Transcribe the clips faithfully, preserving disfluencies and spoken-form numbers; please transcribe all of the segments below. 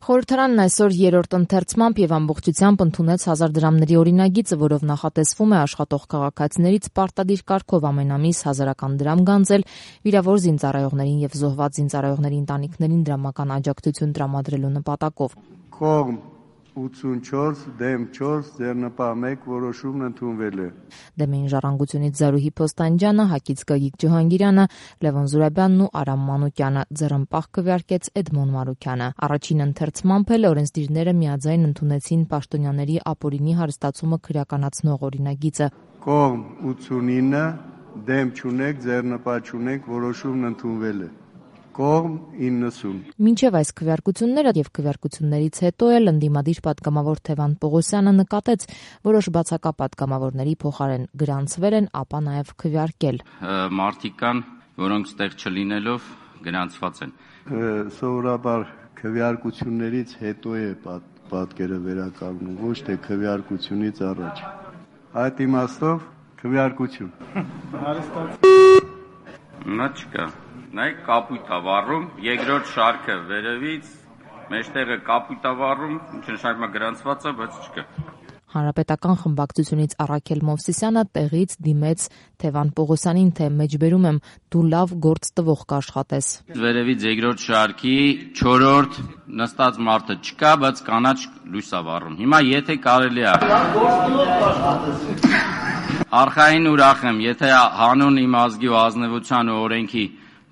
Խորհրդարանն այսօր երրորդ ընթերցմամբ եւ ամբողջությամբ ընդունեց հազար դրամների օրինագիծը, որով նախատեսվում է աշխատող քաղաքացիներից պարտադիր կարգով ամեն ամիս հազարական դրամ գանձել վիրավոր զինծառայողներին եւ զոհված զինծառայողների ընտանիքներին դրամական աջակցություն տրամադրելու նպատակով։ Կողմ ութսունչորս դեմ չորս ձեռնպահ մեկ որոշումն ընդունվել է։ Դեմ էին Ժառանգությունից Զարուհի Փոստանջյանը, Հակից Գագիկ Ջհանգիրյանը, Լևոն Զուրաբյանն ու Արամ Մանուկյանը, ձեռնպահ քվեարկեց Էդմոն Մարուկյանը։ Առաջին ընթերցմամբ էլ օրենսդիրները միաձայն ընդունեցին պաշտոնյաների ապօրինի հարստացումը քրեականացնող օրինագիծը։ Կողմ ութսունինը դեմ չունեք, ձեռնպահ չունեք, որոշումն ընդունվել է։ Կողմ իննսուն։ Մինչև այս քվեարկությունները եւ քվեարկություններից հետո էլ ընդդիմադիր պատգամավոր Թևան Պողոսյանը նկատեց որոշ բացակա պատգամավորների փոխարեն գրանցվել են, ապա նաեւ քվեարկել։ Մարդիկ կան, որոնք ստեղ չլինելով գրանցված են։ Սովորաբար քվեարկություններից հետո է պատկերը վերականգնում, ոչ թե քվեարկությունից առաջ։ Այդ իմաստով քվեարկություն։ Նա չկա։ Նայեք կապույտ ա վառում, երկրորդ շարքը վերևից, մեջտեղը կապույտ ա վառում, ինչ նշանակում է գրանցված է, բայց չկա։ Հանրապետական խմբակցությունից Առաքել Մովսիսյանը տեղից դիմեց Թևան Պողոսյանին, թե մեջբերում եմ դու լավ գործ տվող կաշխատես։ Վերևից երկրորդ շարքի չորրորդ նստած մարդը չկա, բայց կանաչ լույս ա վառում։ Հիմա եթե կարելի է Արխային ուրախ եմ, եթե հանուն իմ ազգի ու ազնվության ու օրենքի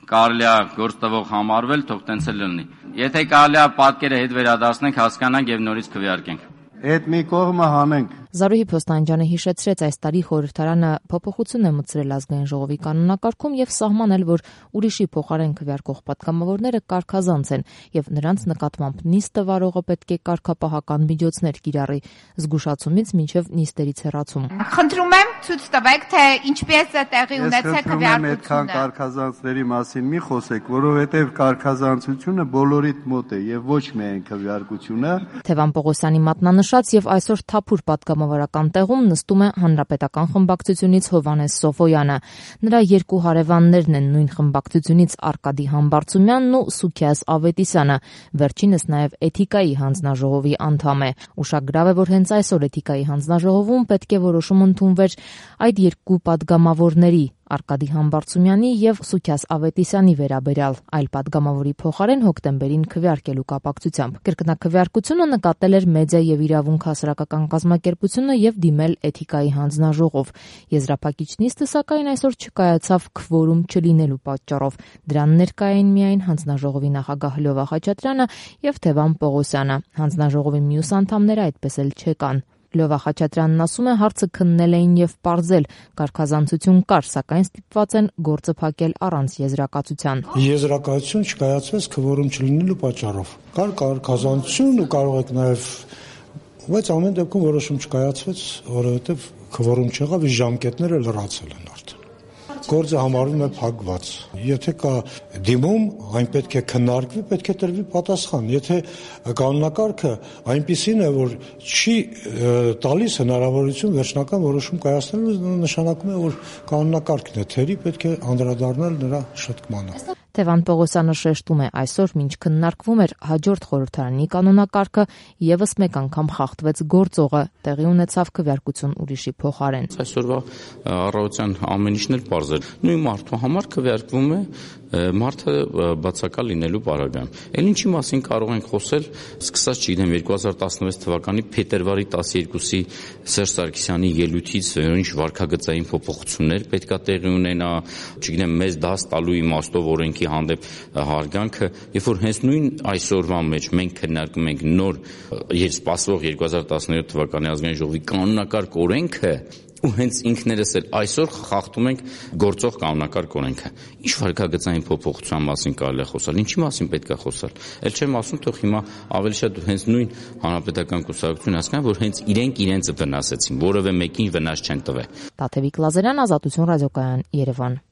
կարելի է գործ տվող համարվել, թող տենց էլ լինի։ Եթե կարելի է պատկերը հետ վերադարձնենք, հասկանանք եւ նորից քվեարկենք։ Այդ մի կողմը հանենք։ Զարուհի Փոստանջյանը հիշեցրեց, այս տարի խորհրդարանը փոփոխություն է մտցրել ազգային ժողովի կանոնակարգում եւ սահմանել, որ ուրիշի փոխարեն քվեարկող պատգամավորները կարգազանց են եւ նրանց նկատմամբ նիստը վարողը պետք է կարգապահական միջոցներ կիրառի, զգուշացումից մինչեւ նիստերից հեռացում։ Խնդրում եմ ցույց տվեք, թե ինչպես է տեղի ունեցել քվեարկությունը։ Այդքան կարգազանցների մասին մի խոսեք, որովհետեւ կարգազանցությունը բոլորիդ մոտ է եւ ոչ միայն քվեարկությունը։ Թևան Պողոսյանի մատնանշած եւ այսօր թափուր պատգամավորական տեղում նստում է Հանրապետական խմբակցությունից Հովհաննես Սոֆոյանը։ Նրա երկու հարևաններն են նույն խմբակցությունից Արկադի Համբարձումյանն ու Սուքիաս Ավետիսյանը, վերջինս նաև Էթիկայի հանձնաժողովի անդամ է։ Ուշագրավ է, որ հենց այսօր Էթիկայի հանձնաժողովում պետք է որոշում ընդունվեր այդ երկու պատգամավորների Արկադի Համբարձումյանի եւ Սուքիաս Ավետիսյանի վերաբերյալ, այլ պատգամավորի փոխարեն հոկտեմբերին քվեարկելու կապակցությամբ։ Կրկնակվեարկությունը նկատել էր Մեդիա եւ իրավունք հասարակական կազմակերպությունը եւ դիմել Էթիկայի հանձնաժողով։ Եզրափակիչ նիստը սակայն այսօր չկայացավ քվորում չլինելու պատճառով։ Դրան ներկա էին միայն հանձնաժողովի նախագահ Լյովա Խաչատրյանը եւ Թևան Պողոսյանը։ Հանձնաժողովի մյուս անդամները այդպես էլ չեկան։ Լյովա Խաչատրյանն ասում է, հարցը քննել էին եւ պարզել, կարգազանցություն կար, սակայն ստիպված են գործը փակել առանց եզրակացության։ Եզրակացություն չկայացվեց քվորում չլինելու պատճառով։ Կար կարգազանցություն ու կարող եք նաեւ, բայց ամեն դեպքում որոշում չկայացվեց, որովհետեւ քվորում չեղավ, ժամկետները լրացել են արդեն։ Գործը համարվում է փակված։ Եթե կա դիմում, այն պետք է քննարկվի, պետք է տրվի պատասխան։ Եթե կանոնակարգը այնպիսին է, որ չի տալիս հնարավորություն վերջնական որոշում կայացնելու, նշանակում է, որ կանոնակարգն է թերի, պետք է անդրադառնալ նրա շտկմանը։ Թևան Պողոսյանը շեշտում է, այսօր մինչ քննարկվում էր հաջորդ խորհրդարանի կանոնակարգը, եւս մեկ անգամ խախտվեց գործողը, տեղի ունեցավ քվեարկություն ուրիշի փոխարեն։ Այսօրվա առավոտյան ամեն ինչն էլ պարզ էր։ Նույն մարդու համար քվեարկվում է մարդը բացակա լինելու պարագայում։ Էլ ինչի մասին կարող ենք խոսել, սկսած, չգիտեմ, երկու հազար տասնվեց թվականի փետրվարի տասներկուսի Սերժ Սարգսյանի ելույթից, ինչ վարքագծային փոփոխություններ պետքա տեղի ունենա, չգիտեմ, մեզ դաս տալու իմաստով օրենքի հանդեպ հարգանքը, երբ որ հենց նույն այսօրվա մեջ մենք քննարկում ենք նոր եւ սպասվող երկու հազար տասներորդ թվականի ազգային ժողովի կանոնակարգ օրենքը, ու հենց ինքներս էլ այսօր խախտում ենք գործող կանոնակարգ օրենքը։ Ինչ վարքագծային փոփոխության մասին կարելի է խոսալ, ինչի մասին պետք է խոսալ։ Էլ չեմ ասում, թող հիմա ավելի շատ հենց նույն հանրապետական կուսակցությունը հասկանան, որ հենց իրենք իրենց վնասեցին, որևէ մեկին վնաս չեն տվել։ Տաթևիկ Լազարյան, Ազատություն ռադիոկայան, Երևան։